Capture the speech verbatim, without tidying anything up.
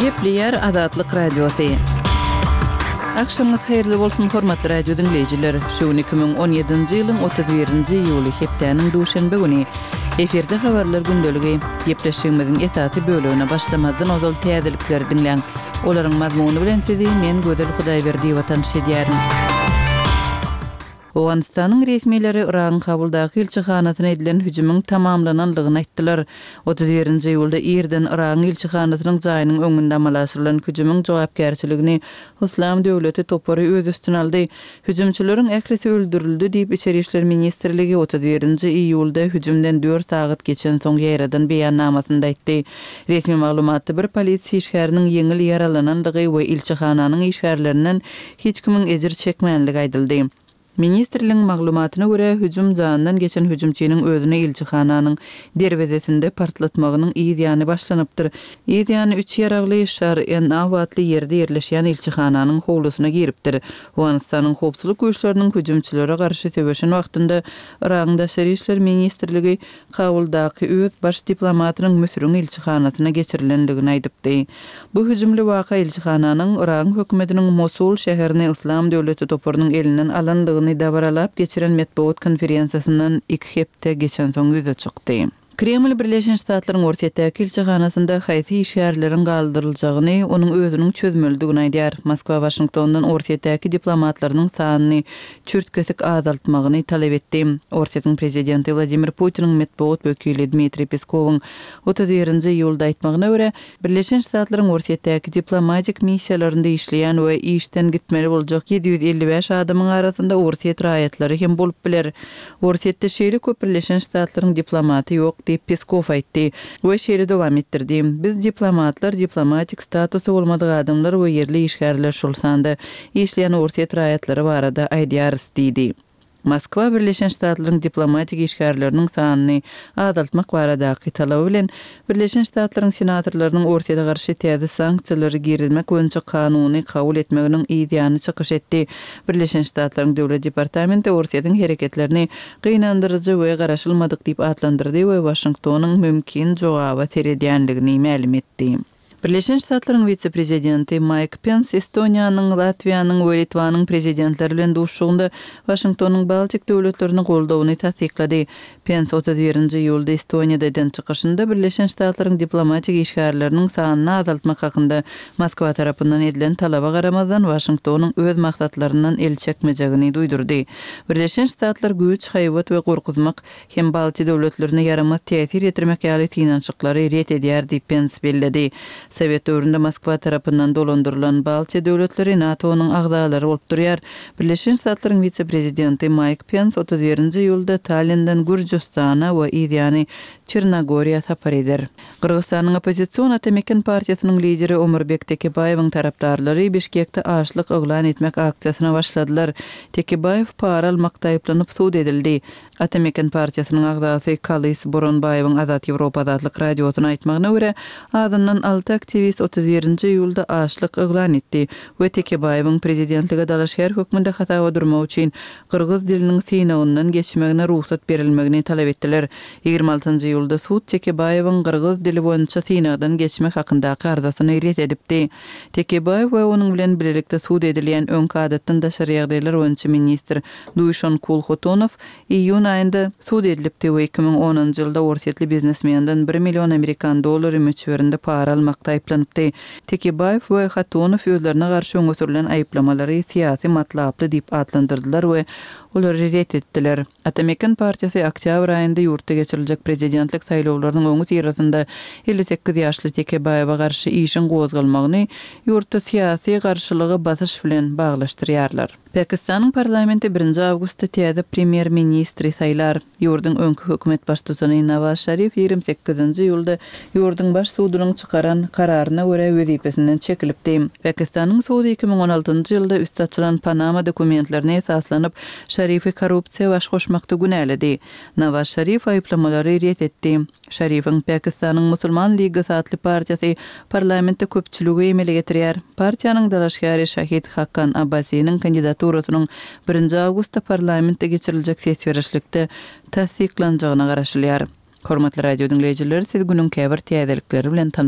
Gepleýär Azatlyk Radiosy. Agşamyňyz haýyrly bolsun, hormatly radio diňleýjiler. Şu gün iki müň on ýedinji ýylyň otuz birinji iýuly, hepdäniň duşenbe güni. Efirde habarlar gündeligi. Gepleşigimiziň esasy bölegine başlamazdan ozal täzelikleri diňläň. Olaryň mazmuny bilen sizi men Gözel Hudaýberdiýewa tanyş edýärin. Owganystanyň resmileri Yragyň Kabuldaky ilçihanasyna edilen hüjümiň tamamlanandygyny aýtdylar. Otuz birinji iýulda irden Yragyň ilçihanasynyň jaýynyň öňünde amala aşyrylan hüjümiň jogapkärçiligini Yslam döwleti topary öz üstüne aldy. Hüjümçileriň ählisi öldürildi diýip, Içeri işler ministrligi otuz birinji iýulda hüjümden dört sagat geçensoň ýaýradan beýannamasynda aýtdy. Resmi maglumatda bir polisiýa işgäriniň ýeňil ýaralanandygy we ilçihananyň işgärlerinden hiç kimiň ejir çekmänligi aýdyldy. Ministrligiň maglumatyna görä, hüjüm jandan geçen hüjümçiniň özüni ilçihananyň derwezesinde partlatmagynyň yz ýany başlanypdyr. Yz ýany üç ýaragly Şar N-Aw atly ýerde ýerleşýän ilçihananyň howlusyna giripdir. Owganystanyň howpsuzlyk güýçleriniň hüjümçilere garşy söweşen wagtynda Yragyň Daşary işler ministrligi Kabuldaky öz baş diplomatynyň Müsüriň ilçihanasyna geçirilendigini aýdypdy. Bu hüjümli waka ilçihananyň Yragyň hökümetiniň Mosul şäherini Yslam döwleti toparynyň elinden alandygyny dabaralap geçiren metbugat konferensiýasyndan iki hepde geçensoň ýüze çykdy. Kreml Birleşen Ştatlaryň Orsýetdäki ilçihanasynda haýsy işgärleriň galdyryljagyny onuň özüniň çözmelidigini aýdýar. Moskwa Waşingtondan Orsýetdäki diplomatlarynyň sanyny çürt-kesik azaltmagyny talap etdi. Orsýetiň prezidenti Wladimir Putiniň metbugat wekili Dmitriý Peskowyň otuz birinji iýulda aýtmagyna görä, Birleşen Ştatlaryň Orsýetdäki diplomatik missiýalarynda işleýän we işden gitmeli boljak ýedi ýüz elli bäş adamyň arasynda Orsýet raýatlary hem bolup biler. Orsýetde şeýle köp Birleşen Ştatlaryň diplomaty ýok diýip Peskow aýtdy we şeýle dowam etdirdi. Biz diplomatlar, diplomatik statusy bolmadyk adamlar we ýerli işgärler, şol sanda işleýän Orsýet raýatlary barada aýdýarys diýdi. Moskwa Birleşen Ştatlaryň diplomatik işgärleriniň sanyny azaltmak baradaky talaby bilen Birleşen Ştatlaryň senatorlarynyň Orsýete garşy täze sanksiýalary girizmek boýunça kanuny kabul etmeginiň yz ýany çykyş etdi. Birleşen Ştatlaryň Döwlet departamenti Orsýetiň hereketlerini gynandyryjy we garaşylmadyk diýip atlandyrdy we Waşingtonyň mümkin jogaba seredýänligini mälim etdi. Birleşen Ştatlaryň wise-prezidenti Maýk Pens Estoniýanyň, Latwiýanyň we Litwanyň prezidentleri bilen duşuşygynda Waşingtonyň Baltik döwletlerini goldawyny tassyklady. Pens otuz birinji iýulda Estoniýada eden çykyşynda Birleşen Ştatlaryň diplomatik işgärleriniň sanyny azaltmak hakynda Moskwa tarapyndan edilen talaba garamazdan Waşingtonyň öz maksatlaryndan el çekmejegini duýdurdy. Birleşen Ştatlar güýç, haýbat we gorkuzmak hem Baltiýa döwletlerine ýaramaz täsir ýetirmek ýaly synanyşyklary ret edýär diýip Pens belledi. Sowet döwründe Moskwa tarapyndan dolandyrylan Baltiýa döwletleri NATO-nyň agzalary bolup durýar. Birleşen Ştatlaryň wise-prezidenti Maýk Pens otuz birinji iýulda Tallinden Gürjüstana we yzýany Çernogoriýa sapar eder. Gyrgyzystanyň oppozision Atameken partiýasynyň lideri Omurbek Tekebaýewiň tarapdarlary Bişkekde açlyk yglan etmek aksiýasyna başladylar. Tekebaýew para almakda aýyplanyp sud edildi. Atameken partiýasynyň agzasy Kalys Boronbaýewiň Azat Ýewropa Azatlyk Radiosyna aýtmagyna görä, azyndan alty aktiwist otuz birinji iýulda açlyk yglan etdi we Tekebaýewiň prezidentlige dalaşgär hökmünde hasaba durmak üçin gyrgyz diliniň synagyndan geçmegine rugsat berilmegini talap etdiler. Ýigrimi altynjy iýulda sud Tekebaýewiň gyrgyz dili boýunça synagdan geçmek hakyndaky arzasyny ret edipdi. Tekebaýew we onuň bilen bilelikde sud edilýän öňki adatdan daşary ýagdaýlar boýunça ministr Duýşankul Hotonow iýun aýynda sud edilipdi we iki müň onunjy ýylda orsýetli biznesmenden bir million amerikan dollary möçberinde para almakda aýyplanypdy. Tekebaýew we Hotonow özlerine garşy öňe sürülen aýyplamalary syýasy matlaply diýip atlandyrdylar we olary ret etdiler. Atameken partiýasy oktýabr aýynda ýurtda geçiriljek prezidentlik saýlawlarynyň öňüsyrasynda elli sekiz ýaşly Tekebaýewe garşy işiň gozgalmagyny ýurtda syýasy garşylyga basyş bilen baglaşdyrýarlar. Pakistanyň parlamenti birinji awgustda täze premýer-ministri saýlar. Ýurduň öňki hökümet baştutany Nawaz Şarif ýigrimi sekizinji iýulda ýurduň baş sudunyň çykaran kararyna görä wezipesinden çekilipdi. Pakistanyň sudy iki müň on altynjy ýylda üsti açylan Panama dokumentlerine esaslanyp, Şarifi korrupsiýa baş goşmakda günäledi. Nawaz Şarif aýyplamalary ret etdi. Şarifiň Pakistanyň Musulman Ligasy atly partiýasy parlamentde köpçüligi emele getirýär. Partiýanyň dalaşgäri Şahid Hakan Abbasiniň kandidaturasynyň birinji awgustda parlamentde geçiriljek ses berişlikde tassyklanjagyna garaşylýar. Hormatly radio diňleýjiler, siz günüň käbir täzelikleri bilen tanyş